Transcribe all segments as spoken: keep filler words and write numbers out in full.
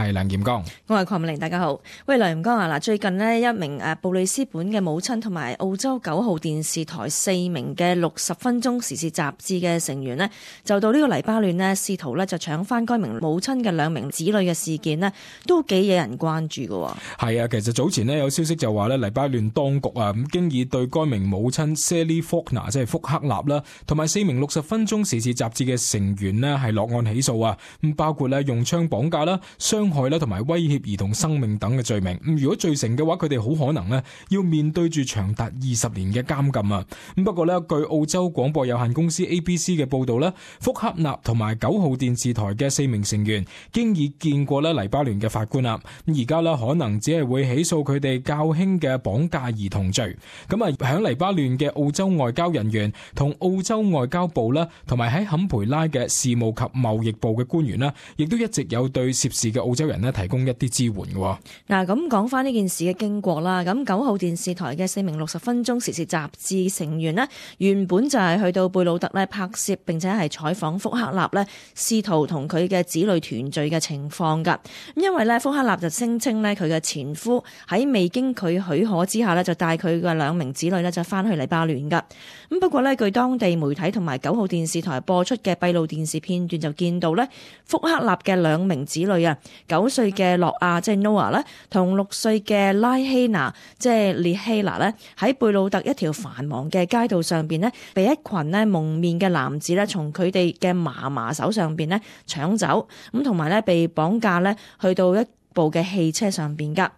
係梁劍剛，我係鄺美玲，大家好。喂，梁劍剛啊，嗱，最近呢，一名誒布里斯本嘅母親同埋澳洲九號電視台四名嘅六十分鐘時事雜誌嘅成員呢，就到呢個黎巴嫩呢，試圖呢就搶翻該名母親嘅兩名子女嘅事件呢，都幾惹人關注㗎。係啊，其實早前呢，有消息就話呢，黎巴嫩當局啊咁經已對該名母親 Sally Faulkner 即係福克納啦，同埋四名六十分鐘時事雜誌嘅成員呢，係落案起訴啊，咁包括呢用槍綁架啦、傷害啦同埋威脅兒童生命等嘅罪名。咁如果罪成嘅話，佢哋好可能呢要面對住長達二十年嘅監禁啊。咁不過呢，據澳洲廣播有限公司 A B C 嘅報道呢，福克納同埋九號電視台嘅四名成員經已見過呢黎巴嫩嘅法官啦。咁而家呢，可能只係會起訴佢哋較輕嘅綁架兒童罪。咁啊，響黎巴嫩嘅澳洲外交人員同澳洲外交部啦，同埋喺坎培拉嘅事務及貿易部嘅官員啦，亦都一直有對涉事嘅澳洲人呢提供一啲支援嘅。嗱，咁講翻呢件事嘅經過啦，咁九號電視台嘅四名六十分鐘時事雜誌成員呢，原本就係去到貝魯特呢拍攝，並且係採訪福克納呢，試圖同佢嘅子女團聚嘅情況噶。因為呢，福克納就聲稱呢，佢嘅前夫喺未經佢許可之下呢，就帶佢嘅兩名子女呢，就翻去黎巴嫩噶。咁不過呢，據當地媒體同埋九號電視台播出嘅閉路電視片段就見到呢，福克納嘅兩名子女啊，九歲嘅諾亞即係 Noah 咧，同六歲嘅拉希娜即係列希娜咧，喺貝魯特一條繁忙嘅街道上邊呢，被一群呢蒙面嘅男子呢，從佢哋嘅嫲嫲手上邊呢搶走，咁同埋呢被綁架呢去到一部嘅汽車上邊噶。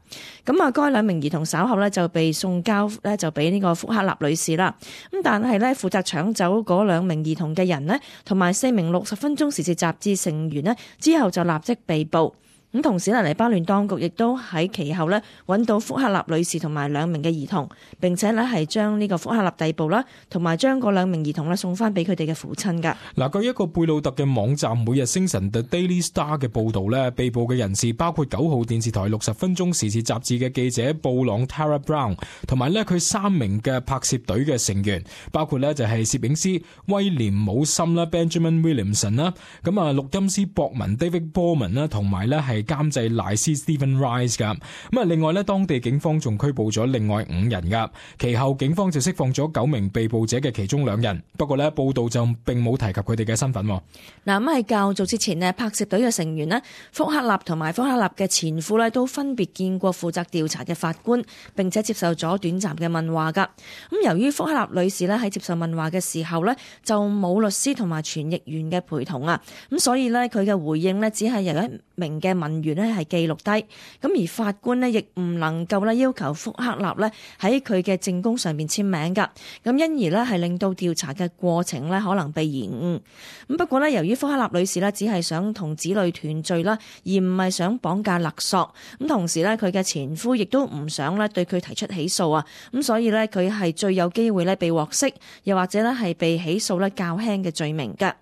咁啊，該兩名兒童稍後呢就被送交呢就俾呢個福克納女士啦。咁但係呢，負責搶走嗰兩名兒童嘅人呢，同埋四名六十分鐘時事雜誌成員呢，之後就立即被捕。咁同時呢，黎巴嫩當局亦都喺其後呢揾到福克納女士同埋兩名嘅兒童，並且呢係將呢個福克納逮捕啦，同埋將嗰兩名兒童呢送翻俾佢哋嘅父親噶。嗱，據一個貝魯特嘅網站每日星辰 The Daily Star 嘅報導呢，被捕嘅人士包括九號電視台六十分鐘時事雜誌嘅記者布朗 Tara Brown， 同埋呢佢三名嘅拍攝隊嘅成員，包括呢就係攝影師威廉姆森啦 Benjamin Williamson 啦，咁啊錄音師博文 David Borman 啦，同埋呢係監製賴斯 Stephen Rice 噶。咁啊，另外呢，當地警方仲拘捕咗另外五人噶。其後警方就釋放咗九名被捕者嘅其中兩人，不過呢報道就並冇提及佢哋嘅身份。嗱，咁喺較早之前呢，拍攝隊嘅成員呢，福克納同埋福克納嘅前夫呢，都分別見過負責調查嘅法官，並且接受咗短暫嘅問話噶。咁由於福克納女士呢喺接受問話嘅時候呢，就冇律師同埋傳譯員嘅陪同啊，咁所以呢，佢嘅回應呢，只係由一名嘅問員呢係記錄低，咁而法官呢，亦唔能夠呢要求福克納呢喺佢嘅證供上面簽名噶，咁因而呢係令到調查嘅過程呢可能被延誤。咁不過呢，由於福克納女士呢只係想同子女團聚啦，而唔係想綁架勒索，咁同時呢，佢嘅前夫亦都唔想呢對佢提出起訴啊，咁所以呢，佢係最有機會呢被獲釋，又或者呢係被起訴呢較輕嘅罪名噶。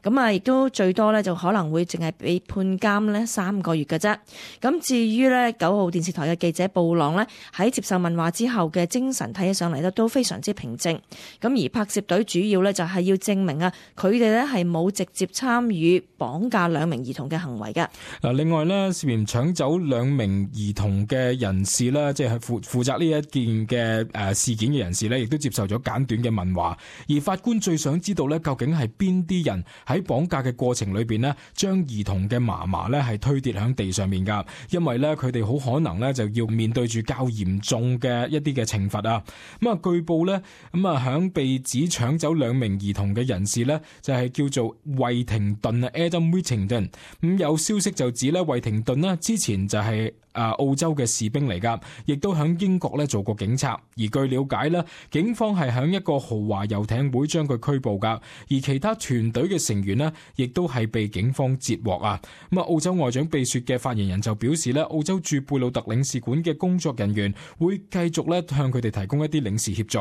咁啊，亦都最多呢就可能會淨係被判監呢三個月嘅啫。咁至於呢九號電視台嘅記者布朗呢，喺接受問話之後嘅精神睇起上嚟呢都非常之平靜。咁而拍攝隊主要呢就係要證明啊，佢哋呢係冇直接參與綁架兩名兒童嘅行為嘅。嗱，另外呢，涉嫌搶走兩名兒童嘅人士啦，即係負負責呢一件嘅誒事件嘅人士呢，亦都接受咗簡短嘅問話。而法官最想知道呢，究竟係邊啲人喺綁架嘅過程裏邊呢，將兒童嘅嫲嫲呢係推跌響地上面噶，因為呢，佢哋好可能呢就要面對住較嚴重嘅一啲嘅懲罰啊。咁啊，據報呢，咁啊響被指搶走兩名兒童嘅人士呢，就係叫做惠廷頓啊 Adam Whittington。咁有消息就指呢，惠廷頓呢之前就係啊澳洲嘅士兵嚟噶，亦都響英國呢做過警察。而據了解呢，警方係響一個豪華遊艇會將佢拘捕噶，而其他團隊嘅成員呢，亦都係被警方截獲啊。咁啊，澳洲外長秘書嘅發言人就表示呢，澳洲駐貝魯特領事館嘅工作人員會繼續呢向佢哋提供一啲領事協助。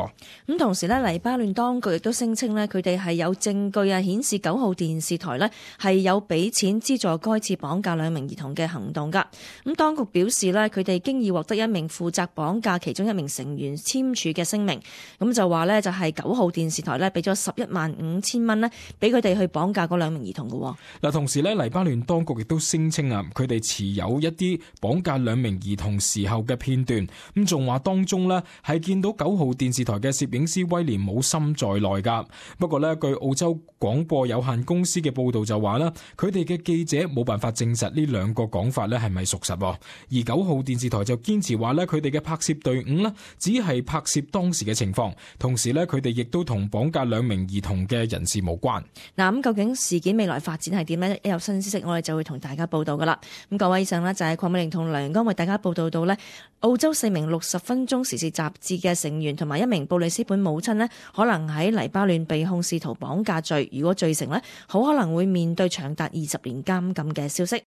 咁同時呢，黎巴嫩當局亦都聲稱呢，佢哋係有證據啊顯示九號電視台呢係有俾錢資助該次綁架兩名兒童嘅行動噶。咁當局表表示呢，佢哋經已獲得一名負責綁架其中一名成員簽署嘅聲明，咁就話呢，就係九號電視台呢俾咗十一萬五千蚊呢俾佢哋去綁架嗰兩名兒童嘅。嗱，同時呢，黎巴嫩當局亦都聲稱啊，佢哋持有一啲綁架兩名兒童時候嘅片段，咁仲話當中呢係見到九號電視台嘅攝影師威廉姆森在內噶。不過呢，據澳洲廣播有限公司嘅報道就話啦，佢哋嘅記者冇辦法證實呢兩個講法呢係咪屬實，而九號電視台就堅持話呢，佢哋嘅拍攝隊伍呢只係拍攝當時嘅情況，同時呢，佢哋亦都同綁架兩名兒童嘅人士無關。嗱，咁究竟事件未來發展係點呢？一有新消息我哋就會同大家報道噶啦。咁各位，以上呢就係鄺美玲同梁陽光為大家報道到呢，澳洲四名六十分鐘時事雜誌嘅成員同埋一名布里斯本母親呢，可能喺黎巴嫩被控試圖綁架罪，如果罪成呢，好可能會面對長達二十年監禁嘅消息。